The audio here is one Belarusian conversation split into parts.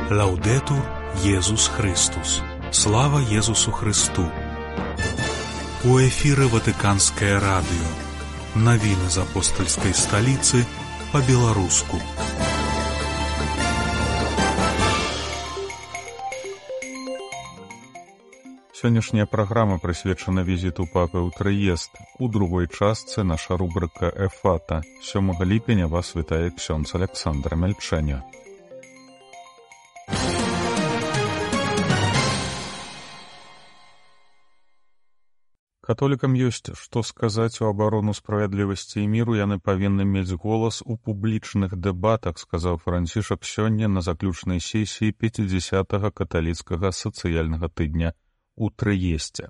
Лаўдэтур Езус Христус. Слава Езусу Христу. У эфіры Ватыканскае радыё. Навіны з апостальскай сталіцы па-беларуску. Сённяшняя праграма прысвечана візіту папы ў Трыест. У другой частцы наша рубрыка «Эфата». 7 ліпеня вас вітае ксёндз Александр Мельчэня. Католікам ёсць што сказаць у абарону справядлівасці і міру, яны павінны мець голас у публічных дэбатах, сказаў Францішак сёння на заключнай сесіі 50-га каталіцкага сацыяльнага тыдня у Трыесце.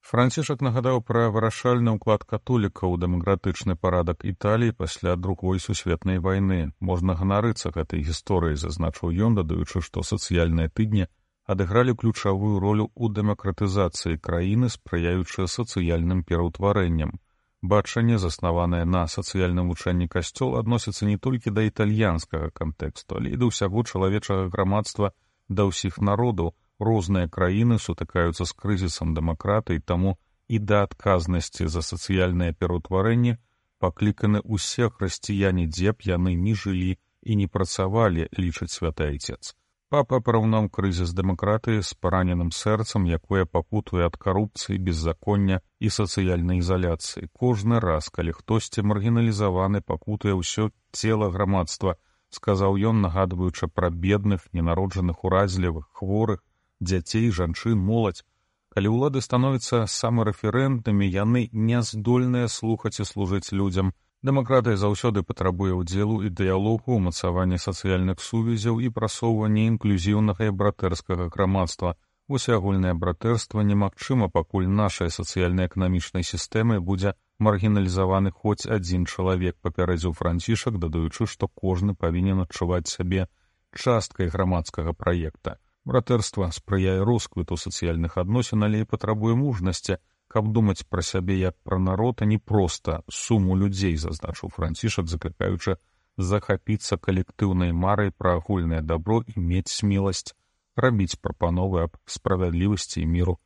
Францішак нагадаў пра вырашальны ўклад католікаў у дэмакратычны парадак Італіі пасля Другой сусветнай вайны. Можна ганарыцца гэтай гісторыяй, зазначыў ён, дадаючы, што сацыяльныя тыдні адыгралі ключавую ролю ў дэмакратызацыі краіны, спрыяючы сацыяльным пераўтварэнням. Бачанне, заснаванае на сацыяльным вучэнні касцёл, адносіцца не толькі да італьянскага кантэксту, але і да ўсяго чалавечага грамадства, да ўсіх народаў. Розныя краіны сутыкаюцца з крызісам дэмакратыі, таму і да адказнасці за сацыяльнае пераўтварэнне пакліканы ўсе хрысціяне, дзе б яны ні жылі і не працавалі, лічыць святы айцец. Папа параўнаў крызіс дэмакратыі з параненым сэрцам, якое пакутуе ад карупцыі, беззаконня і сацыяльнай ізаляцыі. Кожны раз, калі хтосьці маргіналізаваны, пакутуе ўсё цела грамадства, сказаў ён, нагадваючы пра бедных, ненароджаных, уразлівых, хворых, дзяцей, жанчын, моладзь. Калі ўлады становяцца самарэферэнтнымі, яны не здольныя слухаць і служыць людзям. Дэмакратыя заўсёды патрабуе ўдзелу і дыялогу, умацавання сацыяльных сувязяў і прасоўвання інклюзіўнага і братэрскага грамадства. Усеагульнае братэрства немагчыма, пакуль нашай сацыяльна-эканамічнай сістэмай будзе маргіналізаваны хоць адзін чалавек, папярэдзіў Францішак, дадаючы, што кожны павінен адчуваць сябе часткай грамадскага праекта. Братэрства спрыяе росквіту сацыяльных адносін, але і патрабуе мужнасці, каб думаць пра сябе як пра народ, а не проста суму людзей, зазначыў Францішак, заклікаючы захапіцца калектыўнай марай пра агульнае дабро і мець смеласць рабіць прапановы аб справядлівасці і міру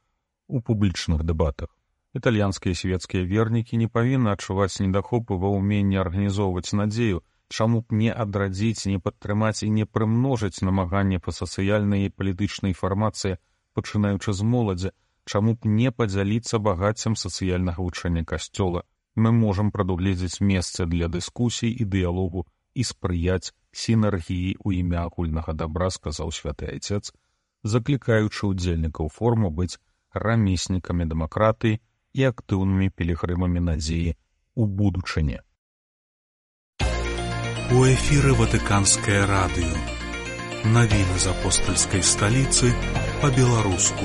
у публічных дэбатах. Італьянскія свецкія вернікі не павінны адчуваць недахопу ва ўменні арганізоўваць надзею, чаму б не адрадзіць, не падтрымаць і не прымножыць намаганне па сацыяльнай і палітычнай фармацыі, пачынаючы з моладзі, чаму б не падзяліцца багаццем сацыяльнага вучэння касцёла. Мы можам прадугледзець месца для дыскусій і дыялогу і спрыяць сінергіі ў імя агульнага дабра, сказаў святы айцец, заклікаючы ўдзельнікаў форуму быць рамеснікамі дэмакратыі і актыўнымі пілігрымамі надзеі ў будучыні. У эфіры Ватыканскае радыё. Навіны з апостальскай сталіцы па-беларуску.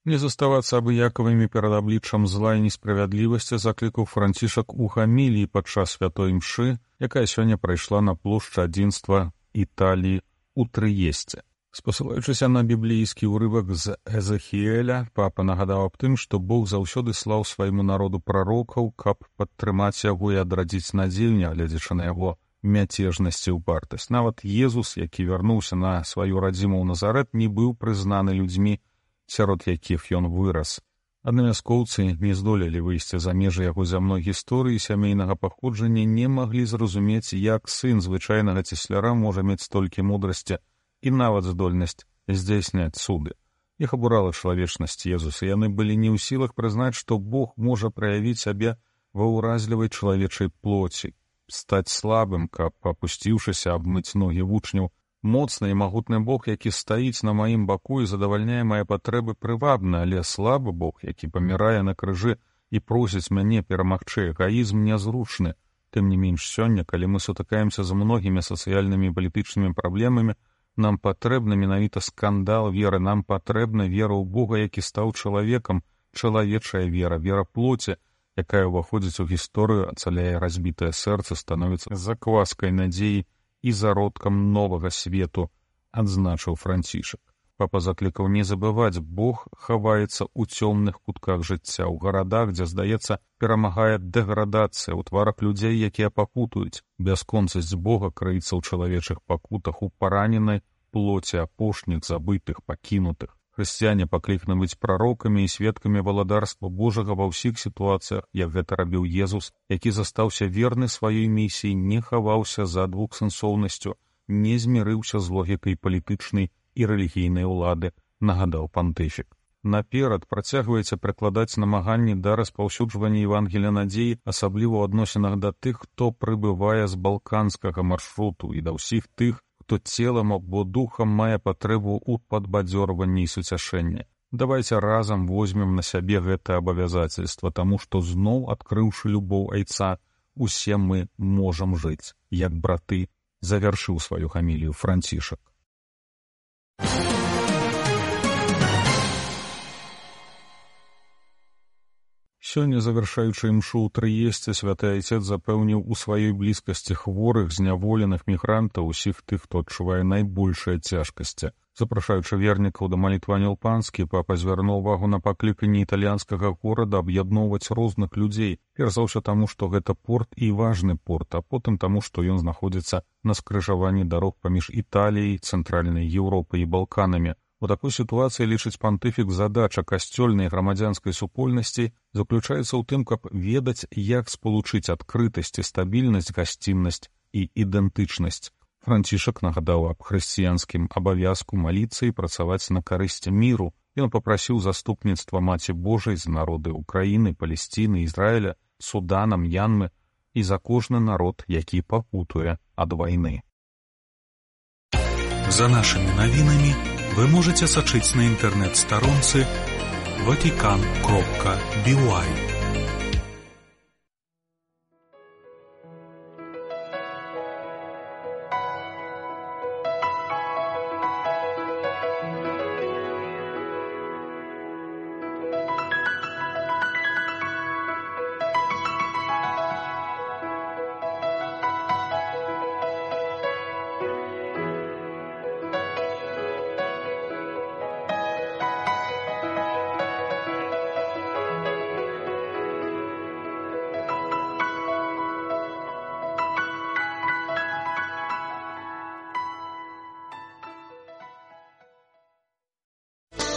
Не заставацца абыякавымі перад абліччам зла і несправядлівасці заклікаў Францішак у гаміліі падчас святой імшы, якая сёння прайшла на плошчы адзінства Італіі ў Трыесце. Спасылаючыся на біблійскі ўрывак з Эзахіэля, папа нагадаў аб тым, што Бог заўсёды слаў свайму народу прарокаў, каб падтрымаць яго і адрадзіць надзею, нягледзячы на яго мяцежнасць і ўпартасць. Нават Езус, які вярнуўся на сваю радзіму ў Назарэт, не быў прызнаны людзьмі, сярод якіх ён вырас. Аднавяскоўцы не здолелі выйсці за межы яго зямной гісторыі, сямейнага паходжання, не маглі зразумець, як сын звычайнага цесляра можа мець столькі мудрасці і нават здольнасць здзяйсняць цуды. Іх абурала чалавечнасць Езуса, яны былі не ў сілах прызнаць, што Бог можа праявіць сябе ва ўразлівай чалавечай плоці, стаць слабым, каб, апусціўшыся, абмыць ногі вучняў. Моцны і магутны Бог, які стаіць на маім баку і задавальняе мае патрэбы прывабна, але слабы Бог, які памірае на крыжы і просіць мяне перамагчы эгаізм, нязручны. Тым не менш сёння, калі мы сутыкаемся з многімі сацыяльнымі і палітычнымі праблемамі, нам патрэбна менавіта скандал веры, нам патрэбна вера ў Бога, які стаў чалавекам, чалавечая вера, вера плоці, якая ўваходзіць у гісторыю, ацаляе разбітае сэрца, становіцца закваскай надзеі і зародкам новага свету, адзначыў Францішак. Папа заклікаў не забываць, Бог хаваецца ў цёмных кутках жыцця, ў гарадах, дзе, здаецца, перамагае дэградацыя, у тварах людзей, якія пакутуюць. Бясконцасць Бога крыецца ў чалавечых пакутах, у параненай плоці апошніх, забытых, пакінутых. Хрысціяне пакліканы быць прарокамі і сведкамі валадарства Божага ва ўсіх сітуацыях, як гэта рабіў Езус, які застаўся верны сваёй місіі, не хаваўся за двухсэнсоўнасцю, не змірыўся з логікай палітычнай і рэлігійнай улады, нагадаў пантыфік. Наперад працягваеце прыкладаць намаганні да распаўсюджвання Евангелія надзеі, асабліва ў адносінах да тых, хто прыбывае з балканскага маршруту, і да ўсіх тых, хто целам або духам мае патрэбу ў падбадзёрванні і суцяшэнні. Давайце разам возьмем на сябе гэта абавязацельства, таму што зноў, адкрыўшы любоў айца, усе мы можам жыць, як браты, завяршыў сваю хамілію Францішак. Сёння, завяршаючы імшу ў Трыесце, святы айцец запэўніў у сваёй блізкасці хворых, зняволеных мігрантаў, усіх тых, хто адчувае найбольшыя цяжкасці. Запрашаючы вернікаў да малітвы Анёл Панскі, папа звярнуў увагу на пакліканне італьянскага горада аб'ядноўваць розных людзей, перш за ўсё таму, што гэта порт і важны порт, а потым таму, што ён знаходзіцца на скрыжаванні дарог паміж Італіяй, цэнтральнай Еўропай і Балканамі. У такой сітуацыі, лічыць пантыфік, задача касцёльнай грамадзянскай супольнасці заключаецца ў тым, каб ведаць, як спалучыць адкрытасць і стабільнасць, гасціннасць і ідэнтычнасць. Францішак нагадаў аб хрысціянскім абавязку маліцца і працаваць на карысць міру. Ён папрасіў заступніцтва Маці Божай за народы Украіны, Палесціны, Ізраіля, Судана, М'янмы і за кожны народ, які пакутуе ад вайны. За нашымі навінамі вы можете сачыць на інтэрнэт-старонцы vatican.by.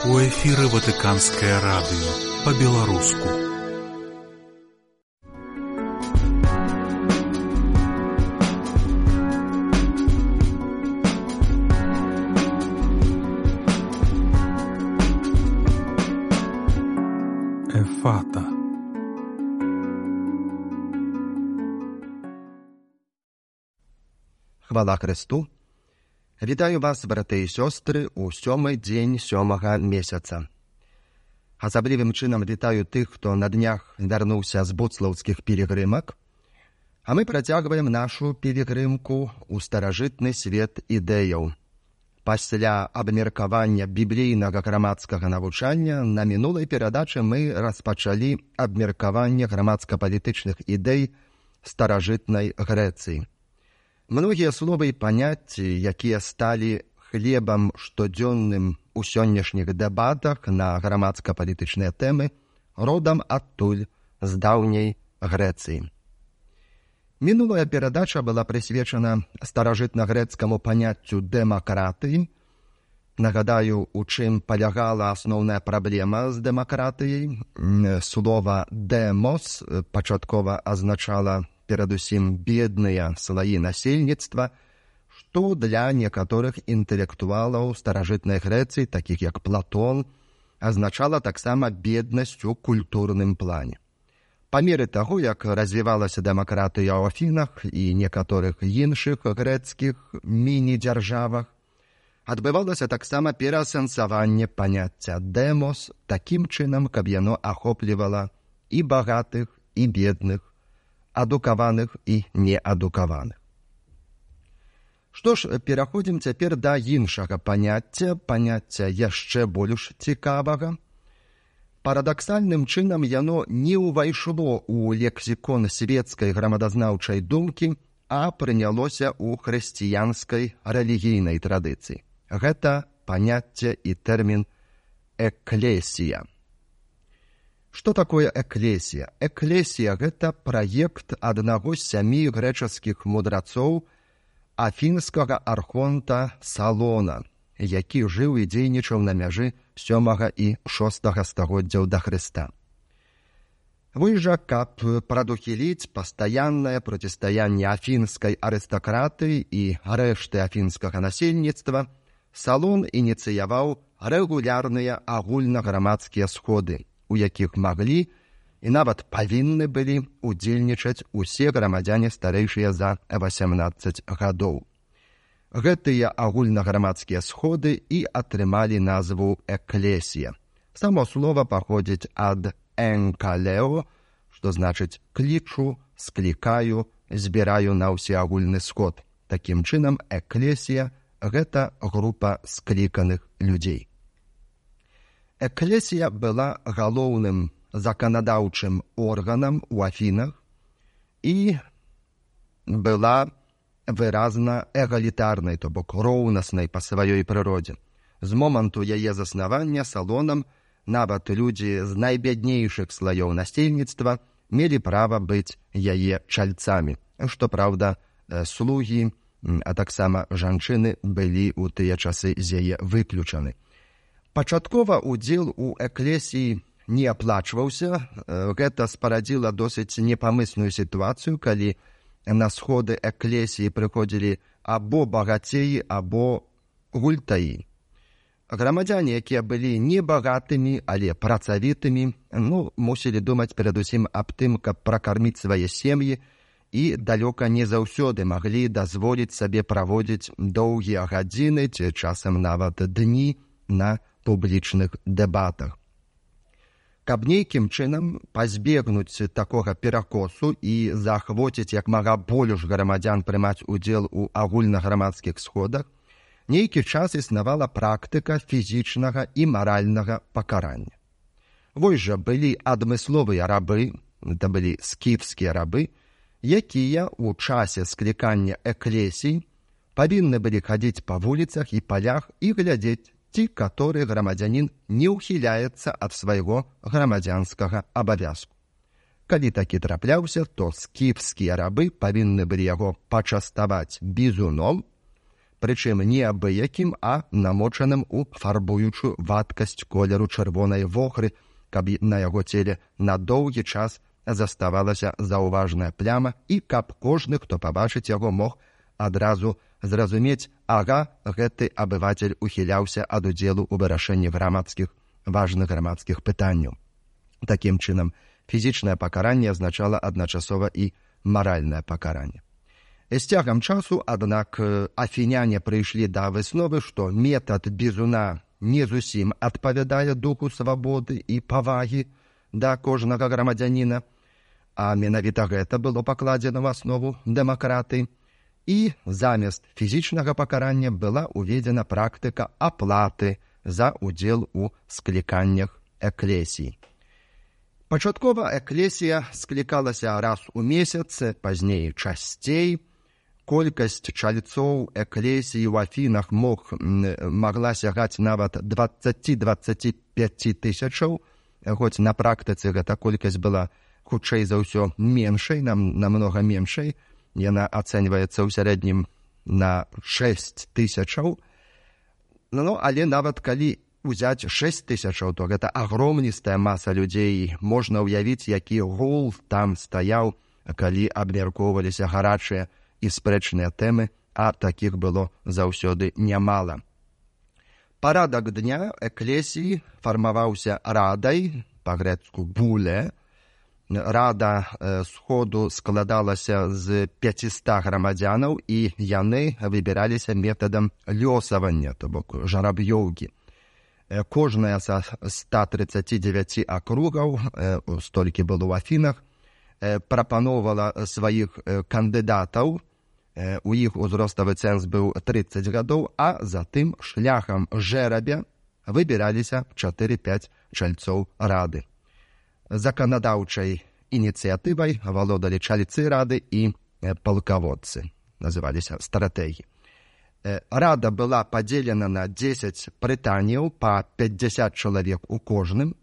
У эфіры Ватыканскае радыё па-беларуску. Ефата. Хвала Христу! Вітаю вас, браты і сёстры, у 7-й дзень 7-га месяца. Асаблівым чынам вітаю тых, хто на днях вярнуўся з буцлаўскіх пілігрымак, а мы працягваем нашу пілігрымку ў старажытны свет ідэяў. Пасля абмеркавання біблійнага грамадскага навучання на мінулай перадачы мы распачалі абмеркаванне грамадска-палітычных ідэй старажытнай Грэцыі. Многія словы і паняцці, якія сталі хлебам штодзённым у сённяшніх дэбатах на грамадска-палітычныя тэмы, родам адтуль, з даўняй Грэцыі. Мінулая перадача была прысвечана старажытна-грэцкаму паняццю дэмакратыі. Нагадаю, у чым палягала асноўная праблема з дэмакратыяй. Слова «дэмос» пачаткова азначала перадусім бедныя слаі насельніцтва, што для некаторых інтэлектуалаў старажытнай Грэцыі, такіх як Платон, азначала таксама беднасць у культурным плане. Па меры таго, як развівалася дэмакратыя ў Афінах і некаторых іншых грэцкіх міні-дзяржавах, адбывалася таксама пераасэнсаванне паняцця «дэмос» такім чынам, каб яно ахоплівала і багатых, і бедных, адукаваных і неадукаваных. Што ж, пераходзім цяпер да іншага паняцця яшчэ больш цікавага. Парадаксальным чынам яно не ўвайшло ў лексікон свецкай грамадазнаўчай думкі, а прынялося ў хрысціянскай рэлігійнай традыцыі. Гэта паняцце і тэрмін «эклесія». Што такое эклесія? Эклесія – гэта праект аднаго з 7 грэчаскіх мудрацоў афінскага архонта Салона, які жыў і дзейнічаў на мяжы 7 і 6 стагоддзяў да Хрыста. Вось жа, каб прадухіліць пастаяннае процістаянне афінскай арыстакратыі і рэшты афінскага насельніцтва, Салон ініцыяваў рэгулярныя агульнаграмадскія сходы, у якіх маглі і нават павінны былі удзельнічаць усе грамадзяне старэйшыя за 18 гадоў. Гэтыя агульнаграмадскія сходы і атрымалі назву «эклесія». Само слова паходзіць ад «энкалео», што значыць «клічу», «склікаю», «збіраю на ўсеагульны сход». Такім чынам, эклесія – гэта група скліканых людзей. Эклесія была галоўным заканадаўчым органам у Афінах і была выразна эгалітарнай, то бок роўнаснай па сваёй прыродзе. З моманту яе заснавання Салонам нават людзі з найбяднейшых слаёў насельніцтва мелі права быць яе чальцамі, што, праўда, слугі, а таксама жанчыны былі ў тыя часы з яе выключаны. Пачаткова удзел у эклесіі не аплачваўся. Гэта спарадзіла досыць непамысную сітуацыю, калі на сходы эклесіі прыходзілі або багацеі, або гультаі. Грамадзяне, якія былі не багатымі, але працавітымі, мусілі думаць перадусім аб тым, каб пракарміць свае сем'і, і далёка не заўсёды маглі дазволіць сабе праводзіць доўгія гадзіны ці часам нават дні на публічных дэбатах. Каб нейкім чынам пазбегнуць такога перакосу і заахвоціць як мага больш грамадзян прымаць удзел у агульнаграмадскіх сходах, нейкі час існавала практыка фізічнага і маральнага пакарання. Вось жа былі адмысловыя рабы, гэта былі скіфскія рабы, якія ў часе склікання эклесій павінны былі хадзіць па вуліцах і палях і глядзець, ці каторы грамадзянін не ўхіляецца ад свайго грамадзянскага абавязку. Калі такі трапляўся, то скіфскія рабы павінны былі яго пачаставаць бізуном, прычым не абыякім, а намочаным у фарбуючую вадкасць колеру чырвонай вохры, каб на яго целе на доўгі час заставалася заўважная пляма і каб кожны, хто пабачыць яго, мог адразу зразумець, ага, гэты абывацель ухіляўся ад удзелу ў вырашэнні важных грамадскіх пытанняў. Такім чынам, фізічнае пакаранне азначала адначасова і маральнае пакаранне. З цягам часу, аднак, афіняне прыйшлі да высновы, што метад бізуна не зусім адпавядае духу свабоды і павагі да кожнага грамадзяніна, а менавіта гэта было пакладзена ў аснову дэмакратыі. І замест фізічнага пакарання была ўведзена практыка аплаты за удзел у скліканнях эклесій. Пачаткова эклесія склікалася раз у месяц, пазней часцей. Колькасць чальцоў эклесіі ў Афінах магла сягаць нават 20-25 тысячаў, хоць на практыцы гэта колькасць была хутчэй за ўсё меншай, намнога меншай. Яна ацэньваецца ў сярэднім на 6 тысячаў. Але нават калі ўзяць 6 тысячаў, то гэта агромністая маса людзей. Можна ўявіць, які гул там стаяў, калі абмяркоўваліся гарачыя і спрэчныя тэмы, а такіх было заўсёды нямала. Парадак дня эклесіі фармаваўся радай, па-грэцку буле. Рада сходу складалася з 500 грамадзянаў, і яны выбіраліся метадам лёсавання, то бок жараб'ёўкі. Кожная са 139 акругаў, столькі было ў Афінах, прапаноўвала сваіх кандыдатаў. У іх узроставы цэнз быў 30 гадоў, а затым шляхам жэрабя выбіраліся 4-5 чальцоў рады. Заканадаўчай ініцыятывай валодалі чальцы рады і палкаводцы, называліся стратегі. Рада была падзелена на 10 прытанняў па 50 чалавек у кожным.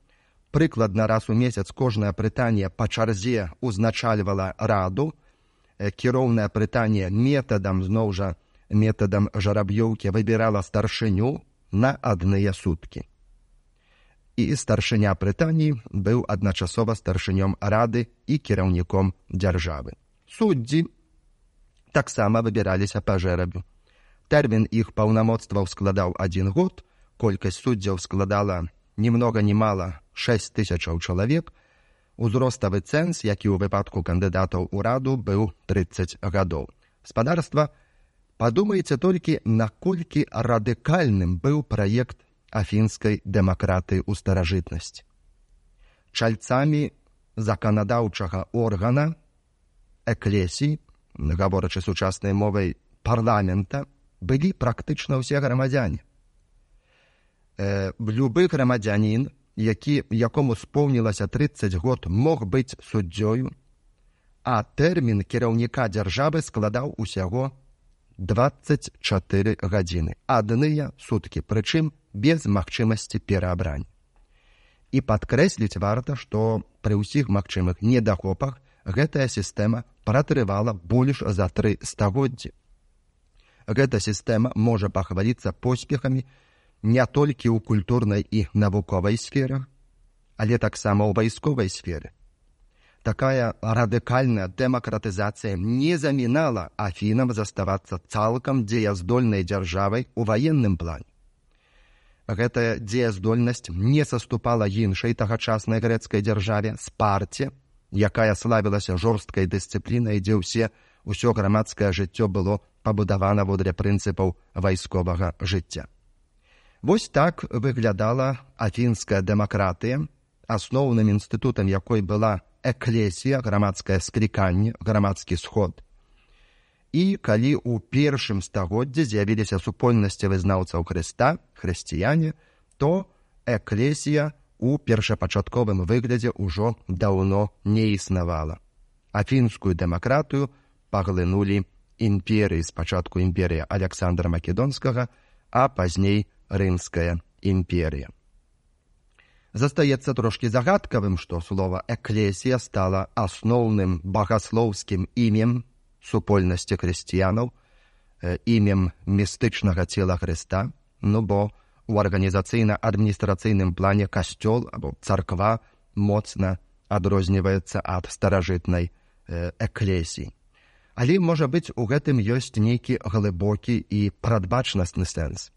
Прыкладна раз у месяц кожнае прытанне па чарзе узначальвала раду. Кіроўнае прытанне метадам жараб'ёўкі выбірала старшыню на адныя суткі. І старшыня прытанні быў адначасова старшынём рады і кіраўніком дзяржавы. Суддзі таксама выбіраліся па жэрабу. Тэрмін іх паўнамоцтваў складаў 1 год, колькасць суддзяў складала ні многа ні мала 6000 чалавек, узроставы цэнз, які ў выпадку кандыдатаў у раду быў 30 гадоў. Спадарства, падумайце толькі, наколькі радыкальным быў праект афінскай дэмакратыі ў старажытнасці. Чальцамі заканадаўчага органа, эклесіі, гаворачы сучаснай мовай парламента, былі практычна ўсе грамадзяне. Любы грамадзянін, якому споўнілася 30 год, мог быць суддзёю, а тэрмін кіраўніка дзяржавы складаў усяго 24 гадзіны, адныя суткі, прычым без магчымасці пераабрання. І падкрэсліць варта, што пры ўсіх магчымых недахопах гэтая сістэма пратрывала больш за 3 стагоддзі. Гэта сістэма можа пахваліцца поспехамі не толькі ў культурнай і навуковай сферах, але таксама ў вайсковай сферы. Такая радыкальная дэмакратызацыя не замінала Афінам заставацца цалкам дзеяздольнай дзяржавай у ваенным плане. Гэтая дзеяздольнасць не саступала іншай тагачаснай грэцкай дзяржаве, Спарце, якая славілася жорсткай дысцыплінай, дзе ўсё грамадскае жыццё было пабудавана водрэ прынцыпаў вайсковага жыцця. Вось так выглядала афінская дэмакратыя, асноўным інстытутам якой была эклесія, грамадскае скліканне, грамадскі сход. І калі ў першым стагоддзі з'явіліся супольнасці вызнаўцаў Хрыста, хрысціяне, то эклесія у першапачатковым выглядзе ўжо даўно не існавала. Афінскую дэмакратыю паглынулі імперыі, спачатку імперія Аляксандра Македонскага, а пазней Рымская імперія. Застаецца трошкі загадкавым, што слова «эклесія» стала асноўным багаслоўскім імем супольнасці хрысціянаў, імем містычнага цела Хрыста, бо у арганізацыйна-адміністрацыйным плане касцёл або царква моцна адрозніваецца ад старажытнай эклесіі. Але, можа быць, у гэтым ёсць нейкі глыбокі і прадбачнасны сэнс.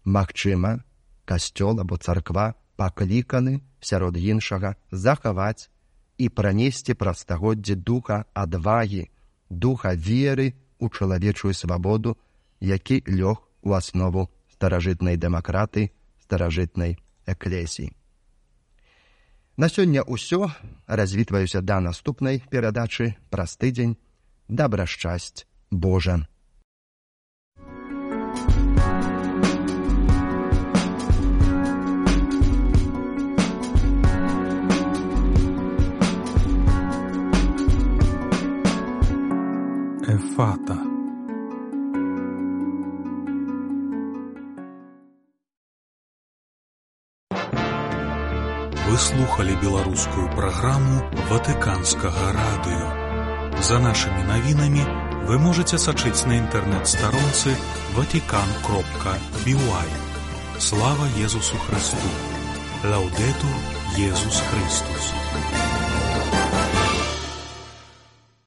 Магчыма, касцёл або царква пакліканы, сярод іншага, захаваць і пранесці праз стагоддзі духа адвагі, духа веры ў чалавечую свабоду, які лёг у аснову старажытнай дэмакратыі, старажытнай эклесіі. На сёння ўсё. Развітваюся да наступнай перадачы праз тыдзень. Добра шчасць Божа! Эфата. Вы слухали беларускую праграму Ватыканскага радыё. За нашими навінамі вы можете сачыць на інтэрнэт-старонцы vatican.by. Слава Езусу Христу! Лаўдэтур Езус Христус!